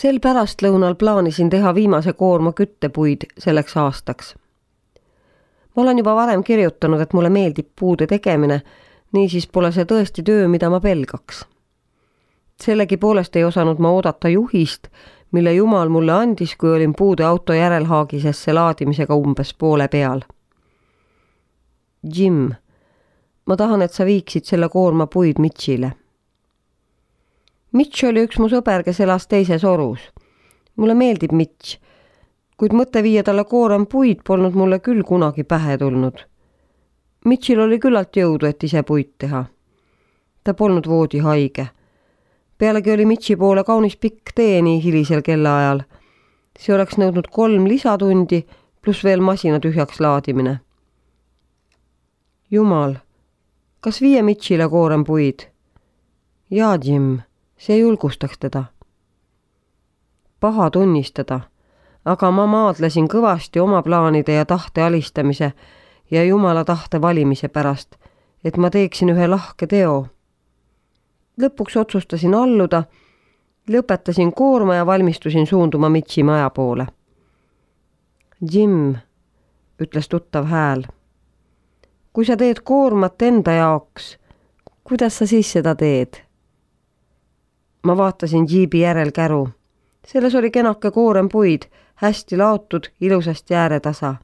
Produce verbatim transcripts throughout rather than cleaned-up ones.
Sel pärastlõunal plaanisin teha viimase koorma küttepuid selleks aastaks. Ma olen juba varem kirjutanud, et mulle meeldib puude tegemine, niisiis pole see tõesti töö, mida ma pelgaks. Sellegi poolest ei osanud ma oodata juhist, mille Jumal mulle andis, kui olin puude auto järelhaagisesse laadimisega umbes poole peal. Jim, ma tahan, et sa viiksid selle koorma puid Mitchile. Mitch oli üks mu sõber, kes elas teises orus. Mulle meeldib Mitch, kuid mõte viia talle koorem puid polnud mulle küll kunagi pähe tulnud. Mitchil oli küllalt jõudu, et ise puid teha. Ta polnud voodi haige. Pealegi oli Mitchi poole kaunis pikk tee nii hilisel kellaajal. See oleks nõudnud kolm lisatundi, pluss veel masina tühjaks laadimine. Jumal, kas viie Mitchile koorem puid? Jaa, Jim, see julgustaks teda. Paha tunnistada, aga ma maadlesin kõvasti oma plaanide ja tahte alistamise ja Jumala tahte valimise pärast, et ma teeksin ühe lahke teo. Lõpuks otsustasin alluda, lõpetasin koorma ja valmistusin suunduma Mitchi maja poole. Jim, ütles tuttav hääl. Kui sa teed koormat enda jaoks, kuidas sa siis seda teed? Ma vaatasin Jeebi järel käru. Selles oli kenake koorem puid, hästi laotud, ilusasti ääretasa.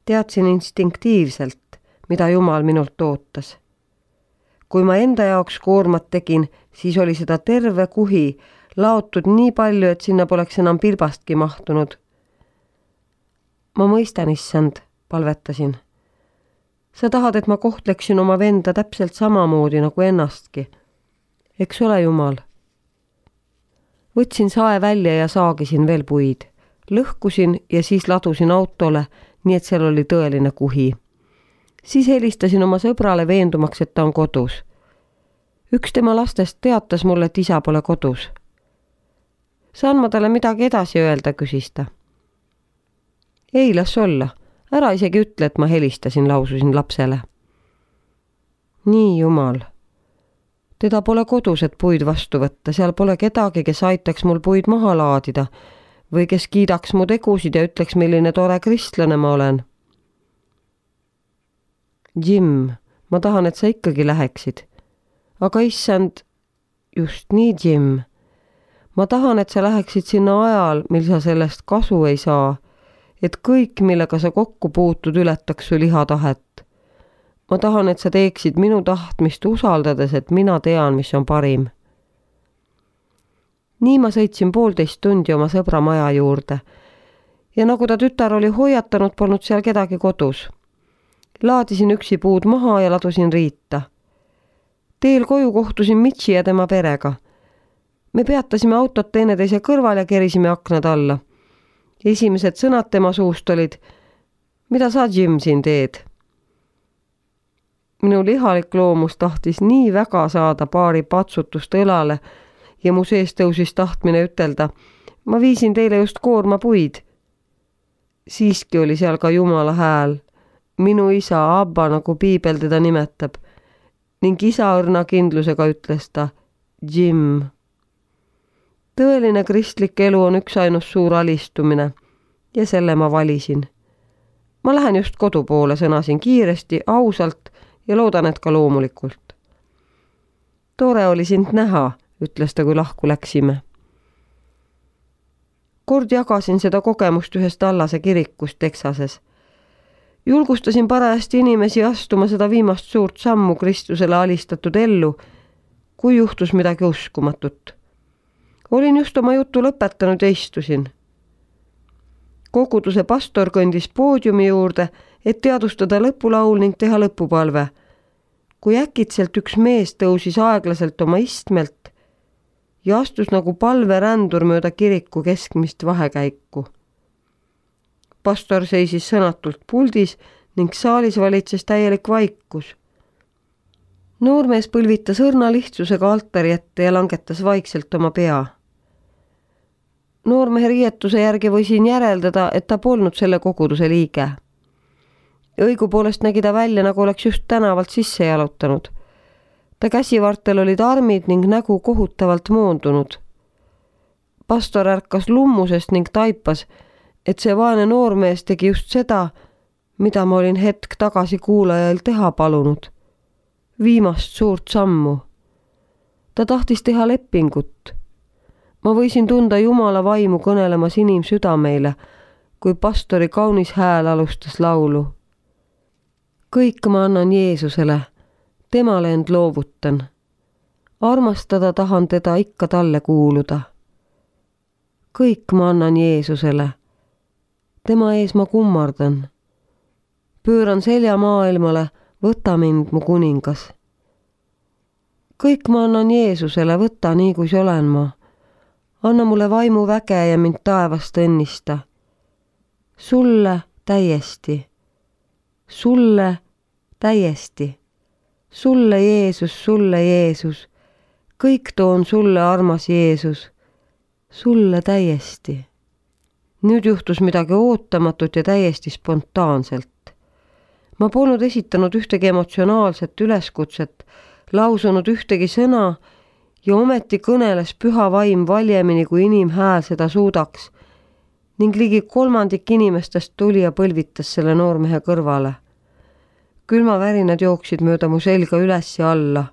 Teadsin instinktiivselt, mida Jumal minult ootas. Kui ma enda jaoks koormat tegin, siis oli seda terve kuhi, laotud nii palju, et sinna poleks enam pilbastki mahtunud. Ma mõistan, issand, palvetasin. Sa tahad, et ma kohtleksin oma venda täpselt samamoodi nagu ennastki. Eks ole, Jumal? Võtsin sae välja ja saagisin veel puid. Lõhkusin ja siis ladusin autole, nii et seal oli tõeline kuhi. Siis helistasin oma sõbrale veendumaks, et ta on kodus. Üks tema lastest teatas mulle, et isa pole kodus. Saan ma talle midagi edasi öelda, küsis ta. Ei, las olla. Ära isegi ütle, et ma helistasin, laususin lapsele. Nii, Jumal. Teda pole kodus, et puid vastu võtta. Seal pole kedagi, kes aitaks mul puid maha laadida või kes kiidaks mu tegusid ja ütleks, milline tore kristlane ma olen. Jim, ma tahan, et sa ikkagi läheksid. Aga issand, just nii, Jim. Ma tahan, et sa läheksid sinna ajal, mil sa sellest kasu ei saa, et kõik, millega sa kokku puutud, ületaks su lihatahet. Ma tahan, et sa teeksid minu tahtmist usaldades, et mina tean, mis on parim. Nii ma sõitsin poolteist tundi oma sõbra maja juurde ja nagu ta tütar oli hoiatanud, polnud seal kedagi kodus. Laadisin üksi puud maha ja ladusin riita. Teel koju kohtusin Mitchi ja tema perega. Me peatasime autot teineteise kõrval ja kerisime aknad alla. Esimesed sõnad tema suust olid, mida sa, Jim, siin teed? Minu lihalik loomus tahtis nii väga saada paari patsutust õlale ja mu sees tõusis tahtmine ütelda, ma viisin teile just koorma puid. Siiski oli seal ka Jumala hääl, minu isa Abba, nagu piibel teda nimetab, ning isa õrna kindlusega ütles ta, Jim. Tõeline kristlik elu on üks ainus suur alistumine ja selle ma valisin. Ma lähen just kodu poole, sõnasin kiiresti, ausalt ja loodan, et ka loomulikult. Tore oli sind näha, ütles ta, kui lahku läksime. Kord jagasin seda kogemust ühest Allase kirikust Texases. Julgustasin parajasti inimesi astuma seda viimast suurt sammu Kristusele alistatud ellu, kui juhtus midagi uskumatut. Olin just oma juttu lõpetanud ja istusin. Koguduse pastor kõndis poodiumi juurde, et teadustada lõpulaul ning teha lõpupalve. Kui äkitselt üks mees tõusis aeglaselt oma istmelt ja astus nagu palverändur mööda kiriku keskmist vahekäiku. Pastor seisis sõnatult puldis ning saalis valitses täielik vaikus. Noormees põlvitas õrna lihtsusega altari ette ja langetas vaikselt oma pea. Noormehe riietuse järgi võisin järeldada, et ta polnud selle koguduse liige. Õigupoolest nägi ta välja, nagu oleks just tänavalt sisse jalutanud. Ta käsivartel olid armid ning nägu kohutavalt moondunud. Pastor ärkas lummusest ning taipas, et see vaene noormees tegi just seda, mida ma olin hetk tagasi kuulajail teha palunud. Viimast suurt sammu. Ta tahtis teha lepingut. Ma võisin tunda Jumala vaimu kõnelemas inimsüdameile, kui pastori kaunis hääl alustas laulu. Kõik ma annan Jeesusele, temale end loovutan. Armastada tahan teda ikka talle kuuluda. Kõik ma annan Jeesusele, tema ees ma kummardan. Pööran selja maailmale, võta mind, mu kuningas. Kõik ma annan Jeesusele, võta nii, kui olen ma. Anna mulle vaimu väge ja mind taevast õnnista. Sulle täiesti. Sulle täiesti. Sulle Jeesus, sulle Jeesus. Kõik toon sulle, armas Jeesus. Sulle täiesti. Nüüd juhtus midagi ootamatut ja täiesti spontaanselt. Ma polnud esitanud ühtegi emotsionaalset üleskutset, lausunud ühtegi sõna ja ometi kõneles püha vaim valjemini, kui inimhääl seda suudaks ning ligi kolmandik inimestest tuli ja põlvitas selle noormehe kõrvale. Külmavärinad jooksid mööda mu selga üles ja alla.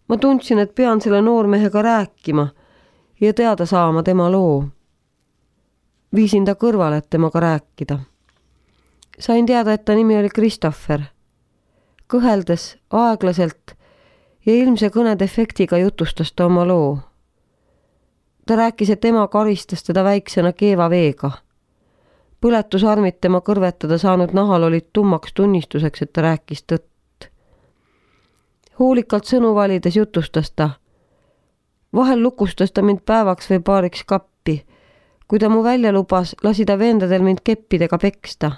Ma tundsin, et pean selle noormehega rääkima ja teada saama tema loo. Viisin ta kõrvale, et temaga rääkida. Sain teada, et ta nimi oli Christopher. Kõheldes, aeglaselt ja ilmse kõnedefektiga jutustas ta oma loo. Ta rääkis, et tema karistas teda väiksena keeva veega. Põletusarmid tema kõrvetada saanud nahal olid tummaks tunnistuseks, et ta rääkis tõtt. Hoolikalt sõnu valides jutustas ta. Vahel lukustas ta mind päevaks või paariks kappi. Kui ta mu välja lubas, lasi ta vendadel mind keppidega peksta.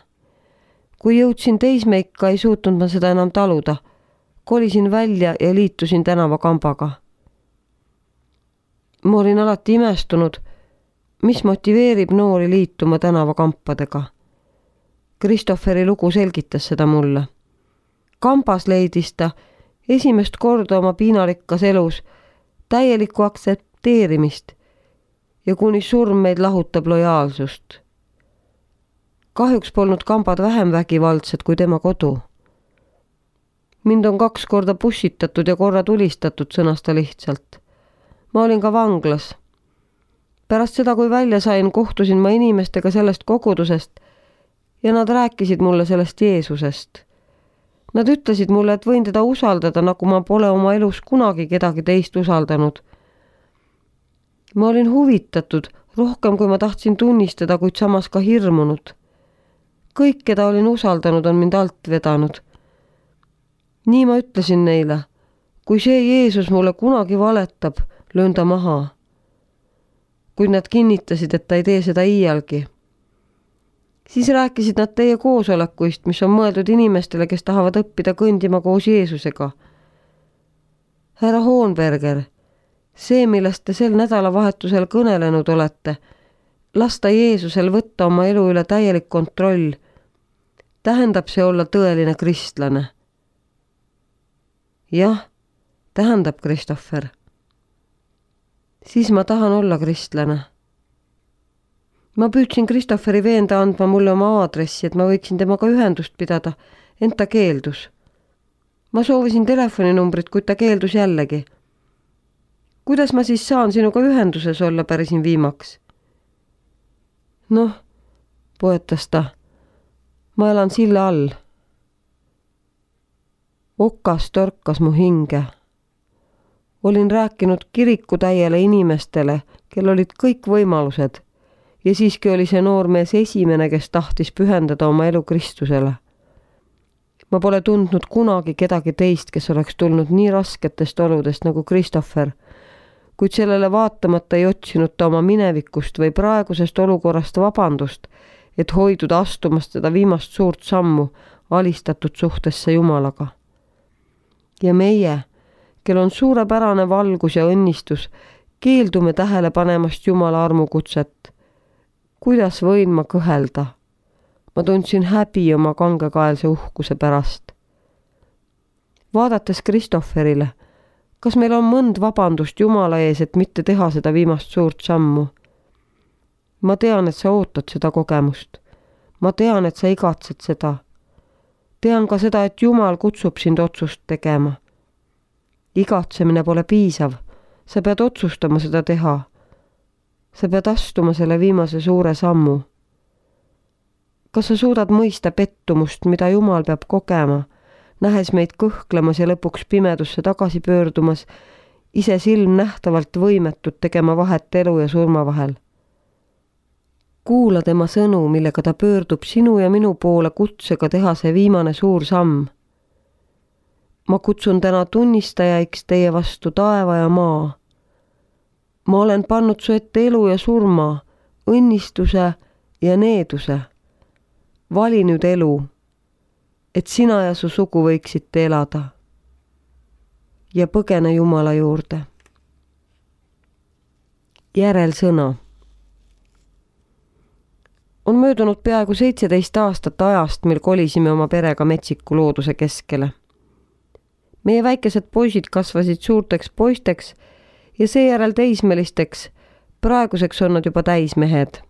Kui jõudsin teismeikka, ei suutnud ma seda enam taluda. Kolisin välja ja liitusin tänavakambaga. Ma olin alati imestunud, mis motiveerib noori liituma tänavakampadega. Christopheri lugu selgitas seda mulle. Kambas leidis ta esimest korda oma piinarikkas elus täielikku aktsepteerimist ja kuni surm meid lahutab lojaalsust. Kahjuks polnud kambad vähem vägivaldsed kui tema kodu. Mind on kaks korda pussitatud ja korra tulistatud, sõnas ta lihtsalt. Ma olin ka vanglas. Pärast seda, kui välja sain, kohtusin ma inimestega sellest kogudusest ja nad rääkisid mulle sellest Jeesusest. Nad ütlesid mulle, et võin teda usaldada, nagu ma pole oma elus kunagi kedagi teist usaldanud. Ma olin huvitatud, rohkem kui ma tahtsin tunnistada, kuid samas ka hirmunud. Kõik, keda olin usaldanud, on mind alt vedanud. Nii ma ütlesin neile, kui see Jeesus mulle kunagi valetab, löön ta maha. Kuid nad kinnitasid, et ta ei tee seda iialgi. Siis rääkisid nad teie koosolekuist, mis on mõeldud inimestele, kes tahavad õppida kõndima koos Jeesusega. Härra Hohenberger, see, millest te sel nädalavahetusel kõnelenud olete, lasta Jeesusel võtta oma elu üle täielik kontroll, tähendab see olla tõeline kristlane. Jah, tähendab Christopher. Siis ma tahan olla kristlane. Ma püüdsin Christopheri veenda andma mulle oma aadressi, et ma võiksin temaga ühendust pidada, ent ta keeldus. Ma soovisin telefoninumbrit, kuid ta keeldus jällegi. Kuidas ma siis saan sinuga ühenduses olla, pärisin viimaks? Noh, poetas ta. Ma elan silla all. Okas torkas mu hinge. Olin rääkinud kirikutäiele inimestele, kel olid kõik võimalused, ja siiski oli see noormees esimene, kes tahtis pühendada oma elu Kristusele. Ma pole tundnud kunagi kedagi teist, kes oleks tulnud nii rasketest oludest nagu Christopher, kuid sellele vaatamata ei otsinud ta oma minevikust või praegusest olukorrast vabandust, et hoiduda astumast seda viimast suurt sammu alistatud suhtesse Jumalaga. Ja meie, kel on suurepärane valgus ja õnnistus, keeldume tähele panemast Jumala armukutset. Kuidas võin ma kõhelda? Ma tundsin häbi oma kangekaelse uhkuse pärast. Vaadates Christopherile, kas meil on mõnd vabandust Jumala ees, et mitte teha seda viimast suurt sammu? ma tean, et sa ootad seda kogemust. ma tean, et sa igatsed seda. tean ka seda, et Jumal kutsub sind otsust tegema. igatsemine pole piisav. sa pead otsustama seda teha. sa pead astuma selle viimase suure sammu. kas sa suudad mõista pettumust, mida Jumal peab kogema, nähes meid kõhklemas ja lõpuks pimedusse tagasi pöördumas, ise silmnähtavalt võimetud tegema vahet elu ja surma vahel? kuula tema sõnu, millega ta pöördub sinu ja minu poole kutsega teha see viimane suur samm. ma kutsun täna tunnistajaiks teie vastu taeva ja maa. ma olen pannud su ette elu ja surma, õnnistuse ja needuse. vali nüüd elu, et sina ja su sugu võiksite elada. ja põgene Jumala juurde. järelsõna. on möödunud peaaegu seitseteist aastat ajast, mil kolisime oma perega metsiku looduse keskele. meie väikesed poisid kasvasid suurteks poisteks ja seejärel teismelisteks, praeguseks on nad juba täismehed.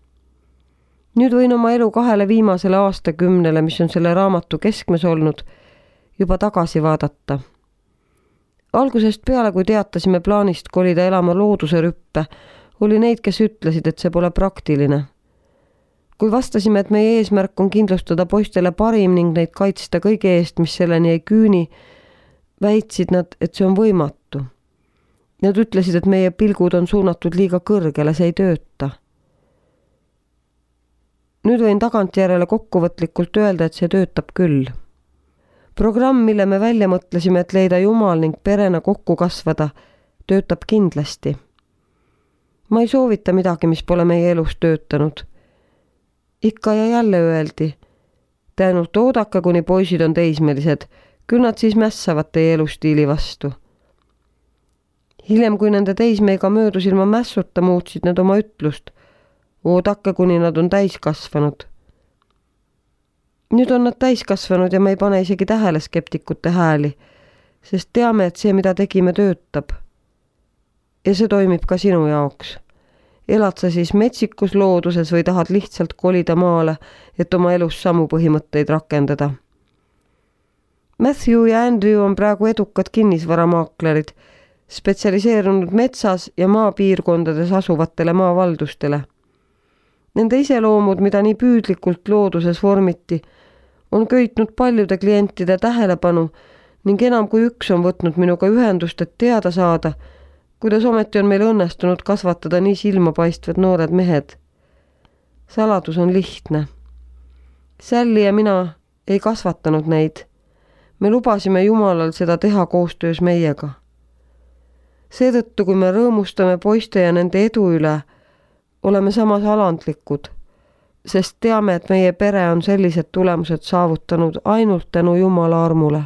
nüüd võin oma elu kahele viimasele aastakümnele, mis on selle raamatu keskmes olnud, juba tagasi vaadata. algusest peale, kui teatasime plaanist kolida elama looduse rüppe, oli neid, kes ütlesid, et see pole praktiline. kui vastasime, et meie eesmärk on kindlustada poistele parim ning neid kaitsta kõige eest, mis selleni ei küüni, väitsid nad, et see on võimatu. Nad ütlesid, et meie pilgud on suunatud liiga kõrgele, see ei tööta. nüüd võin tagantjärele kokkuvõtlikult öelda, et see töötab küll. programm, mille me välja mõtlesime, et leida Jumal ning perena kokku kasvada, töötab kindlasti. ma ei soovita midagi, mis pole meie elus töötanud. ikka ja jälle öeldi, te ainult oodake, kuni poisid on teismelised, küll nad siis mässavad teie elustiili vastu. hiljem, kui nende teismeiga möödus ilma mässuta, muutsid nad oma ütlust. oodake, kuni nad on täiskasvanud. nüüd on nad täiskasvanud ja me ei pane isegi tähele skeptikute hääli, sest teame, et see, mida tegime, töötab. ja see toimib ka sinu jaoks. elad sa siis metsikus looduses või tahad lihtsalt kolida maale, et oma elus samu põhimõtteid rakendada. Matthew ja Andrew on praegu edukad kinnisvaramaaklerid, spetsialiseerunud metsas ja maapiirkondades asuvatele maavaldustele. Nende iseloomud, mida nii püüdlikult looduses vormiti, on köitnud paljude klientide tähelepanu ning enam kui üks on võtnud minuga ühendust, et teada saada, kuidas ometi on meil õnnestunud kasvatada nii silmapaistvad noored mehed. saladus on lihtne. Sally ja mina ei kasvatanud neid. me lubasime Jumalal seda teha koostöös meiega. seetõttu, kui me rõõmustame poiste ja nende edu üle, oleme samas alandlikud, sest teame, et meie pere on sellised tulemused saavutanud ainult tänu Jumala armule.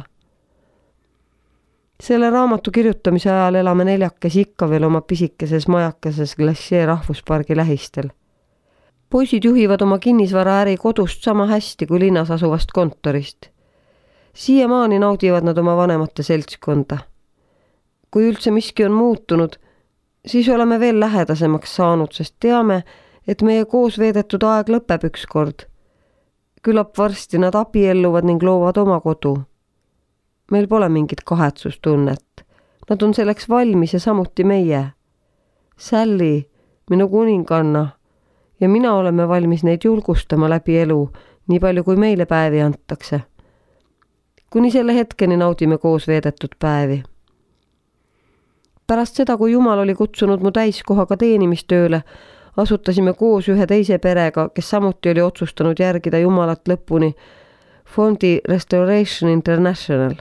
selle raamatu kirjutamise ajal elame neljakesi ikka veel oma pisikeses majakeses Glacier rahvuspargi lähistel. poisid juhivad oma kinnisvaraäri kodust sama hästi kui linnas asuvast kontorist. siiamaani naudivad nad oma vanemate seltskonda. kui üldse miski on muutunud, siis oleme veel lähedasemaks saanud, sest teame, et meie koos veedetud aeg lõpeb ükskord. küllap varsti nad abielluvad ning loovad oma kodu. meil pole mingit kahetsustunnet. Nad on selleks valmis ja samuti meie. Sally, minu kuninganna, ja mina oleme valmis neid julgustama läbi elu, nii palju kui meile päevi antakse. kuni selle hetkeni naudime koos veedetud päevi. pärast seda, kui Jumal oli kutsunud mu täiskohaga teenimistööle, asutasime koos ühe teise perega, kes samuti oli otsustanud järgida Jumalat lõpuni, fondi Restoration International.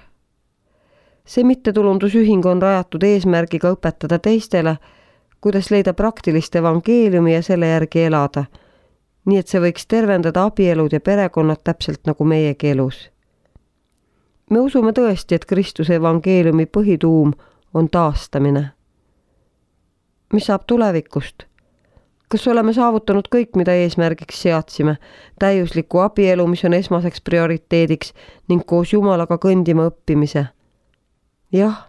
see mittetulundusühing on rajatud eesmärgiga õpetada teistele, kuidas leida praktilist evangeeliumi ja selle järgi elada, nii et see võiks tervendada abielud ja perekonnad täpselt nagu meiegi elus. me usume tõesti, et Kristuse evangeeliumi põhituum on taastamine. mis saab tulevikust? kas oleme saavutanud kõik, mida eesmärgiks seadsime, täiusliku abielu, mis on esmaseks prioriteediks, ning koos Jumalaga kõndima õppimise? jah,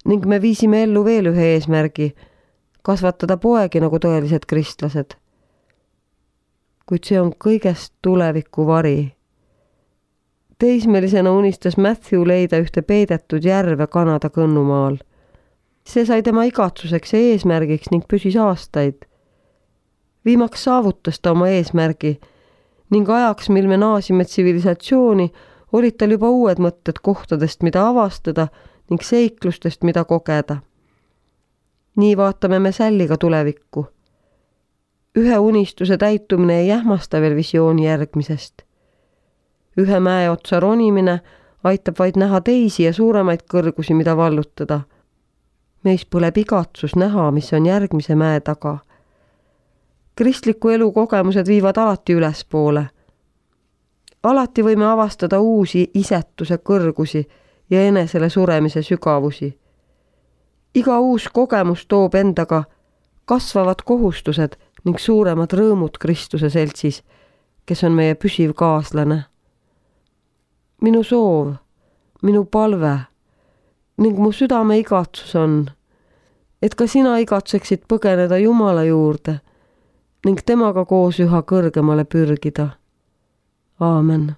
ning me viisime ellu veel ühe eesmärgi, kasvatada poegi nagu tõelised kristlased. kuid see on kõigest tuleviku vari. Teismelisena unistas Matthew leida ühte peidetud järve Kanada kõnnumaal. See sai tema igatsuseks ja eesmärgiks ning püsis aastaid. Viimaks saavutas ta oma eesmärgi ning ajaks, mil me naasime tsivilisatsiooni, olid tal juba uued mõtted kohtadest, mida avastada ning seiklustest, mida kogeda. Nii vaatame me Salliga tulevikku. Ühe unistuse täitumine ei ähmasta veel visiooni järgmisest. Ühe mäe otsa ronimine aitab vaid näha teisi ja suuremaid kõrgusi, mida vallutada. Meis põleb igatsus näha, mis on järgmise mäe taga. Kristliku elu kogemused viivad alati ülespoole. Alati võime avastada uusi isetuse kõrgusi ja enesele suremise sügavusi. Iga uus kogemus toob endaga kasvavad kohustused ning suuremad rõõmud Kristuse seltsis, kes on meie püsiv kaaslane. Minu soov, minu palve ning mu südame igatsus on, et ka sina igatseksid põgeneda Jumala juurde ning temaga koos üha kõrgemale pürgida. Aamen.